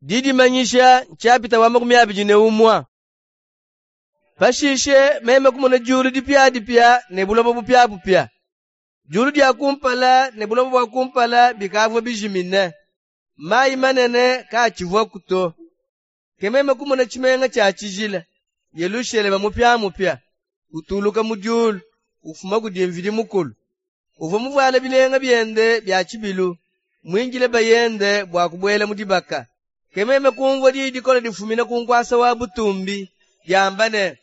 Didimanyisha nshapita wa 21. Pashishe meme kumona diulu dipiadipia ne buloba bupiabupia. Diulu dia kumpala ne buloba bua kumpala bikavua bijimine. Mayi manene kaatshivuaku to. Ke meme kumona tshimenga tshia tshijila, Yelushalema mupiamupia, utuluka mu diulu, ufuma kudi Mvidi Mukulu. Uvua muvuale bilenga biende bia tshibilu, muindile bayende bua kubuela mu dibaka. Ke meme kumvua diyi dikole difumina ku nkuasa wa butumbi, diamba ne,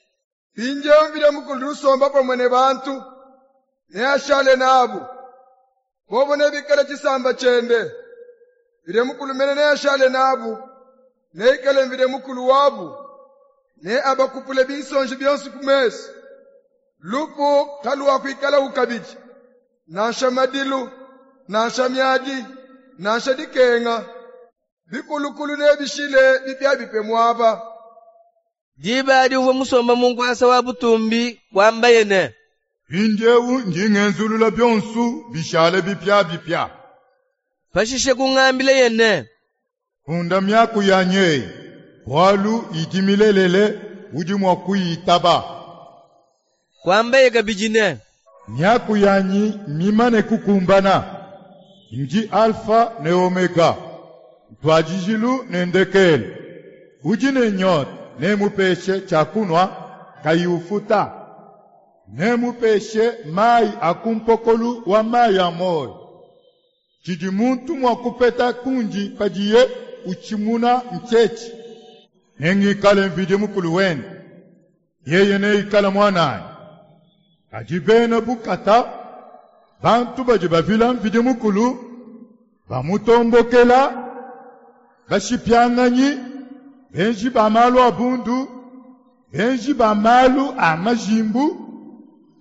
Mpindieu Mvidi Mukulu udi usomba pamue ne bantu, neashale nabu. Bobo nebikale tshisamba tshiende. Mvidi Mukulu mene neashale nabu, neikale Mvidi Mukulu wabu. Neabakupule binsonji bionso ku mesu. Lufu kaluakuikalaku kabidi, nansha madilu, nansha miadi, nansha dikenga. Bikulukulu nebishile bipiabipia muaba. Diba adi uvua musombe mu nkuasa wa butumbi, kuambaye ne, Mpindiewu ndi ngenzulula bionsu bishale bipiabipia. Pashishe kungambilaye ne, Funda miaku yanyi eyi, bualu idi milelele, udi mua kuyitaba. Kuambaye kabidi ne, Miaku yanyi mmimane kukumbana. Ndi Alfa ne Omega, ntuadijilu ne ndekelu. Udi ne nyota, nemmupeshe tshiakunua kayi ufuta. Nemmupeshe mayi a ku mpokolu wa mayi a muoyo. Tshidi muntu mua kupeta kundi padiye utshimuna ntshietshi. Nengikale Mvidi Mukulu wende, yeye neikale muananyi. Kadi bena bukata, bantu badi bavila Mvidi Mukulu, bamutombokela, bashipianganyi, benji ba malu a bundu, benji ba malu a majimbu,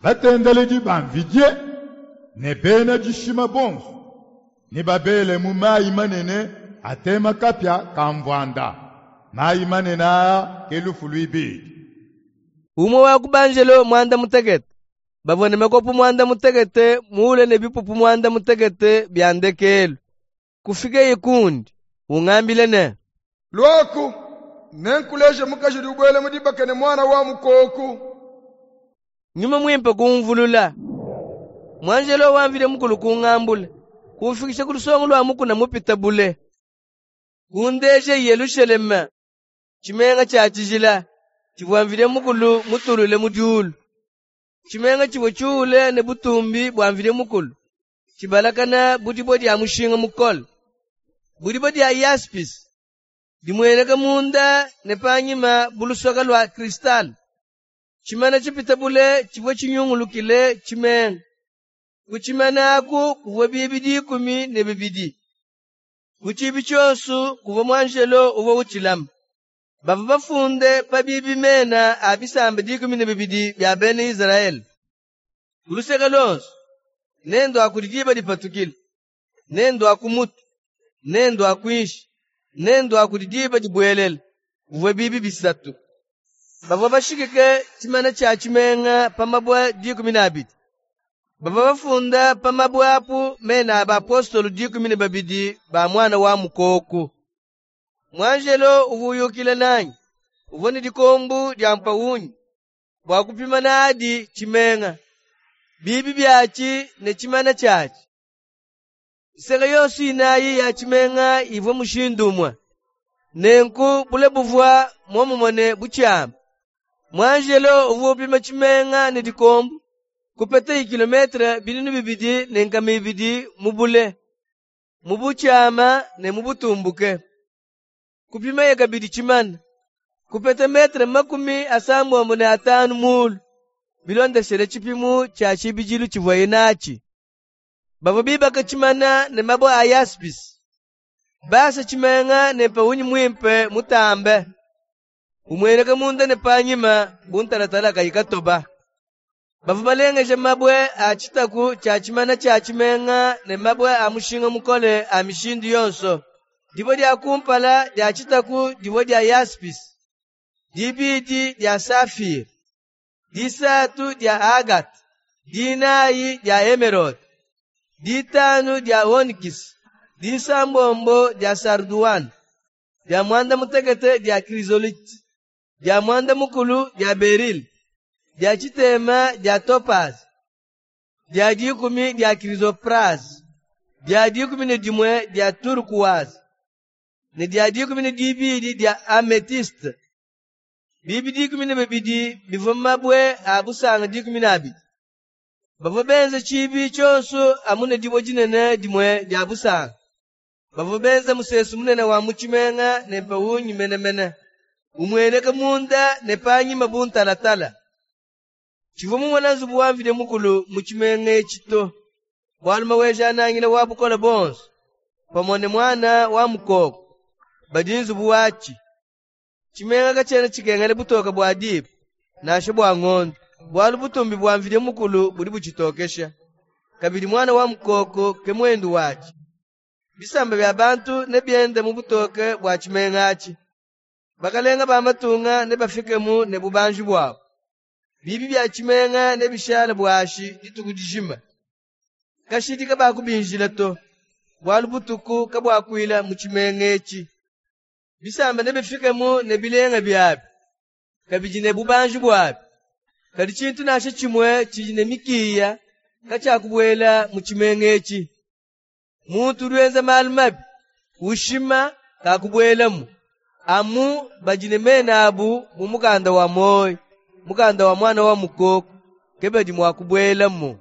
batendeledi ba mvidie, ne bena dishima bonsu, nebabele mu mayi manene atema kapia ka mvuanda. Mayi manene aa ke lufu luibidi. Umue wa ku banjelo muanda mutekete bavua ne makopo muanda mutekete muule ne bipupu muanda mutekete bia ndekelu, kufikeye kundi, ungambila ne, Luaku, nenkuleje mukaji udi ubuela mu dibaka ne muana wa mukoku. Nyuma Muimpe kumvulula. Muanjelo wa Mvidi Mukulu kungambula, kumfikisha ku lusongo lua mukuna mupite bule. Kundeja Yelushalema, tshimenga tshia tshijila, tshivua Mvidi Mukulu mutulule mu diulu. Tshimenga tshivua tshiule ne butumbi bua Mvidi Mukulu, tshibalakana bu dibue dia mushinga mukole, bu dibue dia yaspise, dimueneka munda ne panyima bu lusoka lua kristale. Tshimana tshipite bule tshivua tshinyungulukile tshimenga. Ku tshimana aku kuvua biibi 12. Ku tshiibi tshionso kuvua muanjelo uvua utshilama. Bavua bafunde pa biibi mena a bisamba 12 bia bena Izrayele. Ku luseke luonso, ne ndua kudi diba dipatukila, ne ndua ku mutu, ne ndua kuinshi, ne ndua kudi diba dibuelela, kuvua biibi bisatu. Bavua bashikike tshimana tshia tshimenga pa mabue 12. Bavua bafunda pa mabue apu mena a bapostolu 12 ba muana wa mukoku. Muanjelo uvua uyukila nanyi, uvua ne dikombu dia mpawungi bua kupima nadi tshimenga, biibi biatshi ne tshimana tshiatshi. Nseke yonso inayi ya tshimenga ivua mushindu umue. Nenku bule buvua muomumue ne butshiama. Muanjelo uvua upima tshimenga ne dikombu, kupetaye kilometre 2200 mu bule, mu butshiama ne mu butumbuke. Kupimaye kabidi tshimana, kupeta metre 65 mulu, bilondeshile tshipimu tshia tshibidilu tshivuaye natshi. Bavua bibaka tshimana ne mabue a yaspise, basa tshimenga ne mpawungi muimpe mutambe, umueneka munda ne panyima bu ntalatala kayi katoba. Bavua balengeja mabue a tshitaku tshia tshimana tshia tshimenga ne mabue a mushinga mukole a mishindu yonso. Dibue dia kumpala dia tshitaku divua dia yaspise, dibidi dia safire, disatu dia agate, dinayi dia emerode, ditanu dia onikisi, disambombo dia sarduane. Dia muanda mutekete dia krizolite, dia muanda mukulu dia berile, dia tshitema dia topaze, dia dikumi dia krizopraze, dia dikumi ne dimue dia turkuwaze, ne dia dikumi ne dibidi dia ametiste. Biibi dikumi ne bibidi bivua mabue a busanga dikumi ne abidi. Bavua benze tshiibi tshionso amu ne dibue dinene dimue dia busanga. Bavua benze musesu munene wa mu tshimenga ne mpawungi menemene, umueneka munda ne panyima bu ntalatala. Tshivua mumone nzubu wa Mvidi Mukulu mu tshimenga etshi to, bualu Maweja-Nangila wa bukole buonso, pamue ne Muana wa Mukoko, badi nzubu watshi. Tshimenga katshiena tshikengela butoke bua diba, nansha bua ngondo, bualu butumbi bua Mvidi Mukulu budi butshitokesha. Kabidi Muana wa Mukoko ke muendu watshi. Bisamba bia bantu nebiende mu butoke bua tshimenga atshi. Bakalenga ba matunga nebafikemu ne bubanji buabu. Biibi bia tshimenga nebishale buashi dituku dijima. Kashidi kabakubinjila to, bualu butuku kabuakuila mu tshimenga etshi. Bisamba nebifikemu ne bilenga biabi, kabidi ne bubanji buabi. Kadi tshintu nansha tshimue tshidi ne mikiya katshiakubuela mu tshimenga etshi. Muntu udi wenza malu mabi, ushima, kakubuelamu. Amu badi ne mena abu mu mukanda wa muoyo, mukanda wa Muana wa Mukoko, ke badi mua kubuelamu.